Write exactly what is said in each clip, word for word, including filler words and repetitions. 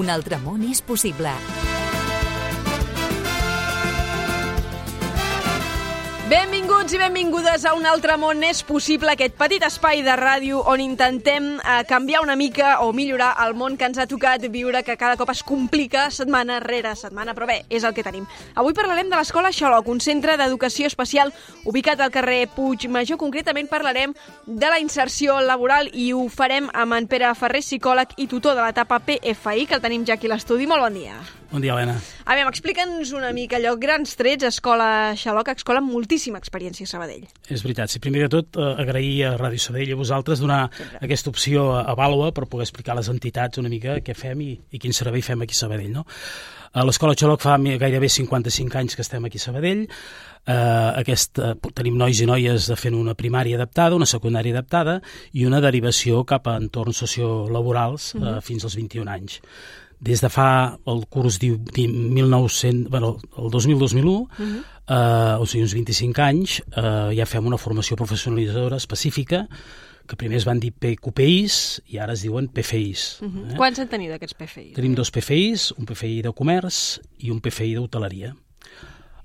Un altre món és possible. Benvinguts i benvingudes a Un altre món és possible, aquest petit espai de ràdio on intentem eh, canviar una mica o millorar el món que ens ha tocat viure, que cada cop es complica setmana rere setmana, però bé, és el que tenim. Avui parlarem de l'Escola Xaloc, un centre d'educació especial ubicat al carrer Puigmajor. Concretament parlarem de la inserció laboral i ho farem amb en Pere Ferrer, psicòleg i tutor de l'etapa P F I, que el tenim ja aquí a l'estudi. Molt bon dia. Bon dia, Helena. A veure, explica'ns una mica allò, grans trets, Escola Xaloc, escola amb moltíssima experiència a Sabadell. És veritat. Sí, primer de tot, eh, agrair a Ràdio Sabadell i a vosaltres donar Sempre. aquesta opció a, a Vàlua per poder explicar a les entitats una mica què fem i, i quin servei fem aquí a Sabadell, no? A l'Escola Xaloc fa gairebé cinquanta-cinc anys que estem aquí a Sabadell. Eh, aquest, eh, tenim nois i noies fent una primària adaptada, una secundària adaptada i una derivació cap a entorns sociolaborals eh, uh-huh. fins als vint-i-un anys. Des de fa el curs mil nou-cents, bueno, el dos mil dos mil u, uh-huh. eh, o sigui, uns vint-i-cinc anys, eh, ja fem una formació professionalitzadora específica, que primer es van dir P Q P Is i ara es diuen P F Is. Uh-huh. eh? Quants en teniu d'aquests P F Is? Tenim dos P F Is, un P F I de comerç i un P F I d'hoteleria.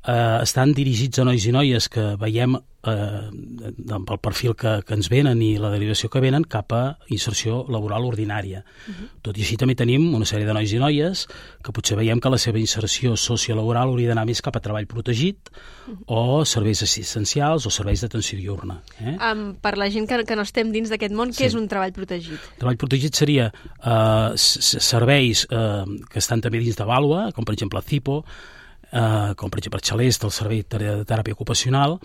Eh, estan dirigits a nois i noies que veiem eh, pel perfil que, que ens venen i la derivació que venen cap a inserció laboral ordinària. Uh-huh. Tot i així també tenim una sèrie de nois i noies que potser veiem que la seva inserció sociolaboral hauria d'anar més cap a treball protegit uh-huh. o serveis assistencials o serveis d'atenció diurna. Eh? Um, per la gent que, que no estem dins d'aquest món, què sí. és un treball protegit? Treball protegit seria eh, serveis eh, que estan també dins de Vàlua, com per exemple CIPO, Uh, com per exemple Xalest, el servei de teràpia ocupacional,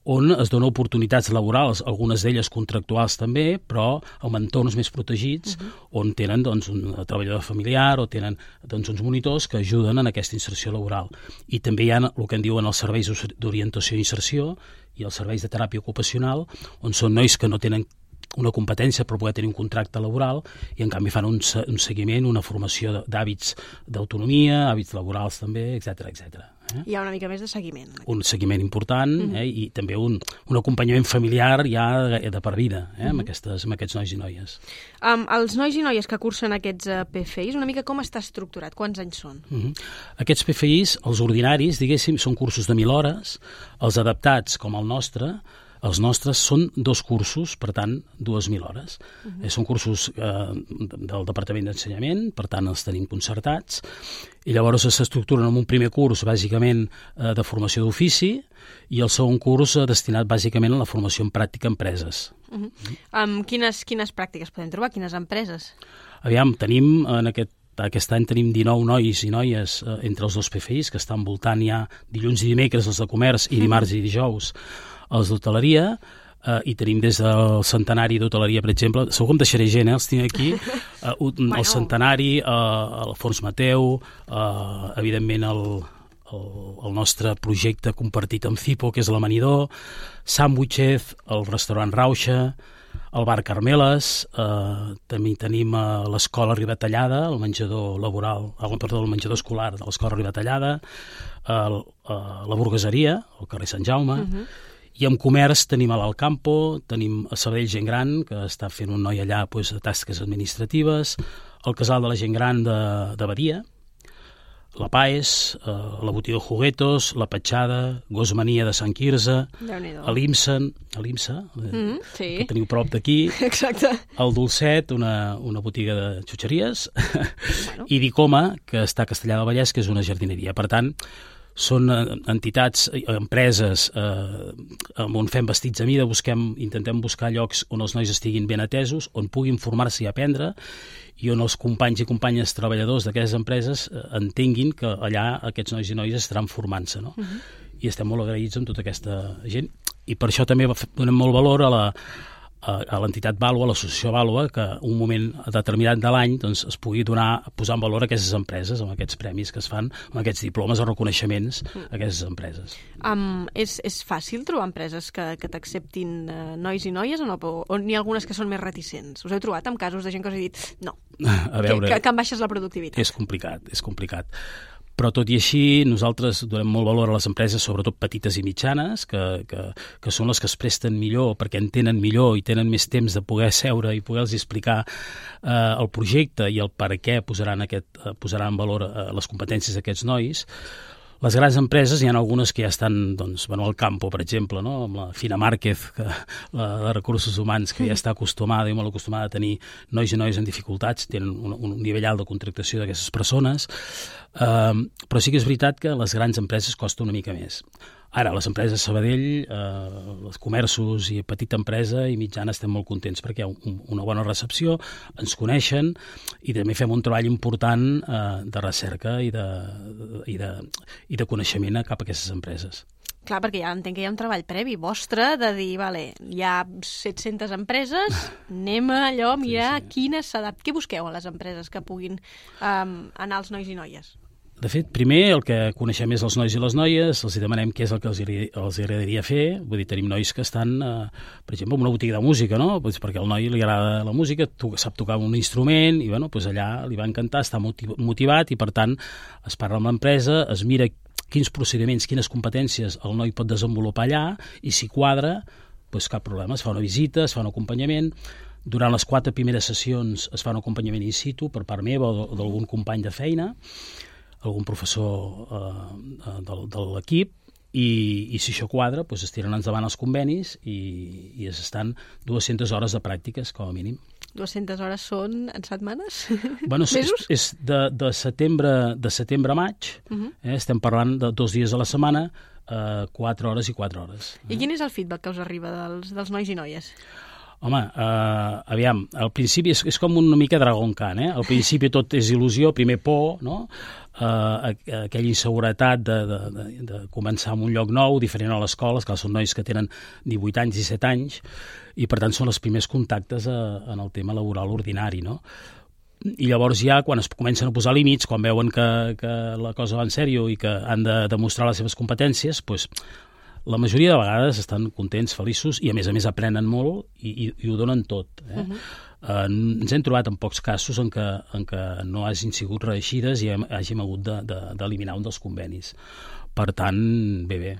on es donen oportunitats laborals, algunes d'elles contractuals també, però amb entorns més protegits, uh-huh. on tenen doncs, un treballador familiar o tenen doncs, uns monitors que ajuden en aquesta inserció laboral. I també hi ha el que en diuen els serveis d'orientació i inserció i els serveis de teràpia ocupacional, on són nois que no tenen una competència per poder tenir un contracte laboral i en canvi fan un, un seguiment, una formació d'hàbits d'autonomia, hàbits laborals també, etcètera, etcètera. Eh? Hi ha una mica més de seguiment. Un seguiment important uh-huh. eh? i també un, un acompanyament familiar ja de, de per vida eh? uh-huh. amb, aquestes, amb aquests nois i noies. Um, els nois i noies que cursen aquests uh, P F Is, una mica com està estructurat? Quants anys són? Uh-huh. Aquests P F Is, els ordinaris, diguéssim, són cursos de mil hores, els adaptats, com el nostre, els nostres són dos cursos, per tant, dues mil hores. Uh-huh. Eh, són cursos eh, del Departament d'Ensenyament, per tant, els tenim concertats, i llavors s'estructuren en un primer curs, bàsicament, eh, de formació d'ofici, i el segon curs eh, destinat, bàsicament, a la formació en pràctica a empreses. Uh-huh. Uh-huh. Um, quines, quines pràctiques podem trobar? Quines empreses? Aviam, tenim en aquest Aquest any tenim dinou nois i noies eh, entre els dos P F Is, que estan voltant ja dilluns i dimecres els de comerç i dimarts i dijous els d'hoteleria, eh, i tenim des del centenari d'hoteleria, per exemple, segur que em deixaré gent, eh, els tinc aquí, eh, el bueno. centenari, eh, el Fons Mateu, eh, evidentment el, el, el nostre projecte compartit amb CIPO, que és l'Amanidor, Sandwiches, el restaurant Rauxa, el bar Carmeles, eh, també tenim eh, l'escola Ribatallada, el menjador laboral, eh, perdó, el menjador escolar de l'escola Ribatallada, el, eh, la burgueseria, al carrer Sant Jaume, uh-huh. i en comerç tenim a l'Alcampo, tenim a Sabadell Gent Gran, que està fent un noi allà pues, de tasques administratives, el casal de la gent gran de, de Badia, la Paes, eh, la botiga Juguetos, la Petxada, Gosmania de Sant Quirze, l'Imsa, l'Imsa, mm, sí. que teniu prop d'aquí, el Dolcet, una, una botiga de xutxeries, bueno. i Dicoma, que està a Castellar del Vallès, que és una jardineria. Per tant, són entitats, empreses eh, on fem vestits a mida, busquem, intentem buscar llocs on els nois estiguin ben atesos, on puguin formar-se i aprendre, i on els companys i companyes treballadors d'aquestes empreses eh, entenguin que allà aquests nois i noies estaran formant-se, no? Uh-huh. I estem molt agraïts amb tota aquesta gent, i per això també donem molt valor a la a l'entitat Vàlua, a l'associació Vàlua, que un moment determinat de l'any doncs, es pugui donar, posar en valor aquestes empreses, amb aquests premis que es fan, amb aquests diplomes o reconeixements a aquestes empreses. Um, és, és fàcil trobar empreses que, que t'acceptin uh, nois i noies o no? O, o n'hi ha algunes que són més reticents? Us heu trobat amb casos de gent que us ha dit no, a veure, que, que, que em baixes la productivitat? És complicat, és complicat. Però tot i així, nosaltres donem molt valor a les empreses, sobretot petites i mitjanes, que, que, que són les que es presten millor perquè entenen millor i tenen més temps de poder seure i poder-los explicar eh, el projecte i el per què posaran, aquest, eh, posaran en valor eh, les competències d'aquests nois. Les grans empreses, hi ha algunes que ja estan, doncs, bueno, al Campo, per exemple, no? Amb la Fina Márquez, que, la de recursos humans, que ja està acostumada i molt acostumada a tenir nois i noies en dificultats, tenen un, un nivell alt de contractació d'aquestes persones, uh, però sí que és veritat que les grans empreses costa una mica més. Ara, les empreses Sabadell, eh, els comerços i petita empresa i mitjana estem molt contents perquè hi ha un, una bona recepció, ens coneixen i també fem un treball important eh, de recerca i de, i, de, i de coneixement cap a aquestes empreses. Clar, perquè ja entenc que hi ha un treball previ vostre de dir, vale, hi ha set-centes empreses, anem a allò a mirar sí, sí. quines s'adapten. Què busqueu a les empreses que puguin um, anar als nois i noies? De fet, primer el que coneixem és els nois i les noies, els demanem què és el que els, els agradaria fer, vull dir, tenim nois que estan, eh, per exemple, en una botiga de música, no? Pues perquè al noi li agrada la música, to sap tocar un instrument i bueno, pues allà li va encantar, està motivat i per tant es parla amb l'empresa, es mira quins procediments, quines competències el noi pot desenvolupar allà i si quadra, pues cap problema, es fa una visita, es fa un acompanyament. Durant les quatre primeres sessions es fa un acompanyament in situ per part meva o d'algun company de feina, algun professor eh, de, de l'equip, i, i si això quadra, doncs es tiren endavant els convenis i, i es estan dues-centes hores de pràctiques, com a mínim. dues-centes hores són en setmanes? Bueno, mesos? És, és de, de, setembre, de setembre a maig, uh -huh. eh, estem parlant de dos dies a la setmana, eh, quatre hores i quatre hores. I quin és el feedback que us arriba dels, dels nois i noies? Home, uh, aviam, al principi és, és com una mica Dragon Khan, eh? Al principi tot és il·lusió, primer por, no? Uh, aquella inseguretat de, de, de, de començar en un lloc nou, diferent a l'escola, que són nois que tenen divuit anys, disset anys, i per tant són els primers contactes a, en el tema laboral ordinari, no? I llavors ja, quan es comencen a posar límits, quan veuen que, que la cosa va en sèrio i que han de demostrar les seves competències, doncs la majoria de vegades estan contents, feliços i a més a més aprenen molt i, i, i ho donen tot. Eh? Uh-huh. eh, ens hem trobat en pocs casos en què, en què no hagin sigut reeixides i hem, hàgim hagut d'eliminar de, de, un dels convenis. Per tant, bé, bé.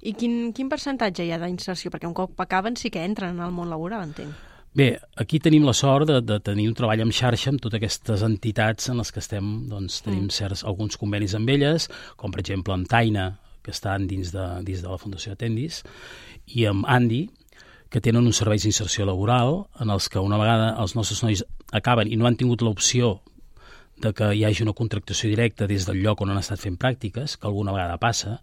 I quin, quin percentatge hi ha d'inserció? Perquè un cop acaben sí que entren en el món laboral, entenc. Bé, aquí tenim la sort de, de tenir un treball en xarxa amb totes aquestes entitats en les que estem, doncs, tenim mm. certs, alguns convenis amb elles, com per exemple amb Taina, que estan dins de, dins de la Fundació Atendis, i amb Andi, que tenen uns serveis d'inserció laboral en els que una vegada els nostres nois acaben i no han tingut l'opció de que hi hagi una contractació directa des del lloc on han estat fent pràctiques, que alguna vegada passa,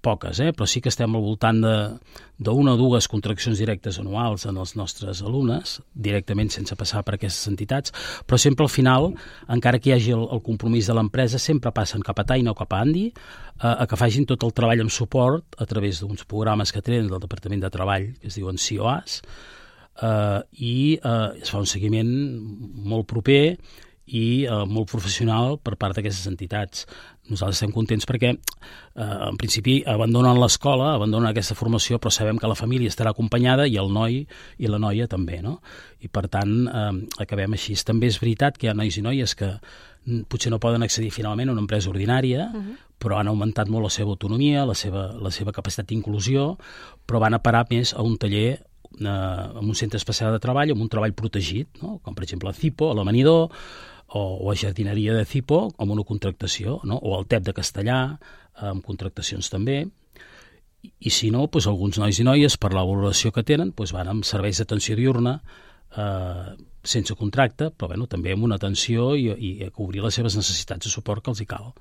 poques, eh? Però sí que estem al voltant d'una o dues contraccions directes anuals en els nostres alumnes, directament sense passar per aquestes entitats, però sempre al final, encara que hi hagi el, el compromís de l'empresa, sempre passen cap a Taina o cap a Andi a, a que facin tot el treball amb suport a través d'uns programes que tenen del Departament de Treball, que es diuen C O As, eh, i eh, es fa un seguiment molt proper i eh, molt professional per part d'aquestes entitats. Nosaltres estem contents perquè, eh, en principi, abandonen l'escola, abandonen aquesta formació, però sabem que la família estarà acompanyada i el noi i la noia també, no? I, per tant, eh, acabem així. També és veritat que hi ha nois i noies que potser no poden accedir finalment a una empresa ordinària, uh-huh. però han augmentat molt la seva autonomia, la seva, la seva capacitat d'inclusió, però van a parar més a un taller eh, en un centre especial de treball, amb un treball protegit, no? Com per exemple a Cipo, a l'Amanidor, o, o a jardineria de Cipo, amb una contractació, no? O al T E P de Castellà, amb contractacions també. I, i si no, doncs alguns nois i noies, per la valoració que tenen, doncs van amb serveis d'atenció diurna, eh, sense contracte, però bueno, també amb una atenció i, i a cobrir les seves necessitats de suport que els hi cal.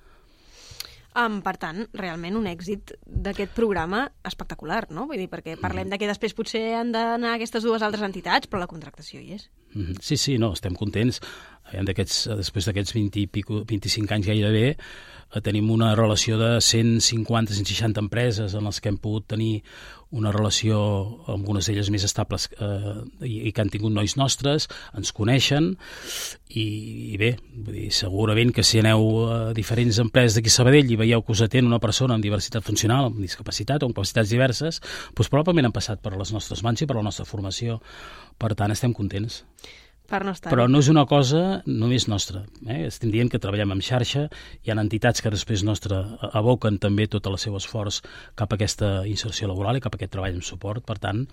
Um, per tant, realment un èxit d'aquest programa espectacular, no? Vull dir, perquè parlem mm. de que després potser han d'anar aquestes dues altres entitats, però la contractació hi és. Mm-hmm. Sí, sí, no, estem contents. Després d'aquests vint i pico, vint-i-cinc anys gairebé, tenim una relació de cent cinquanta a cent seixanta empreses en les que hem pogut tenir una relació amb algunes d'elles més estables eh, i, i que han tingut nois nostres, ens coneixen i, i bé, vull dir, segurament que si aneu a diferents empreses d'aquí a Sabadell i veieu que us atén una persona amb diversitat funcional, amb discapacitat o amb capacitats diverses, doncs probablement han passat per les nostres mans i per la nostra formació. Per tant, estem contents. Per no estar. Però no és una cosa només nostra. Eh? Estem dient que treballem en xarxa, hi ha entitats que després nostre aboquen també tot el seu esforç cap a aquesta inserció laboral i cap a aquest treball en suport. Per tant,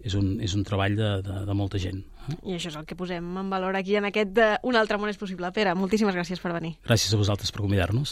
és un, és un treball de, de, de molta gent. Eh? I això és el que posem en valor aquí en aquest de Un altre món és possible. Pere, moltíssimes gràcies per venir. Gràcies a vosaltres per convidar-nos.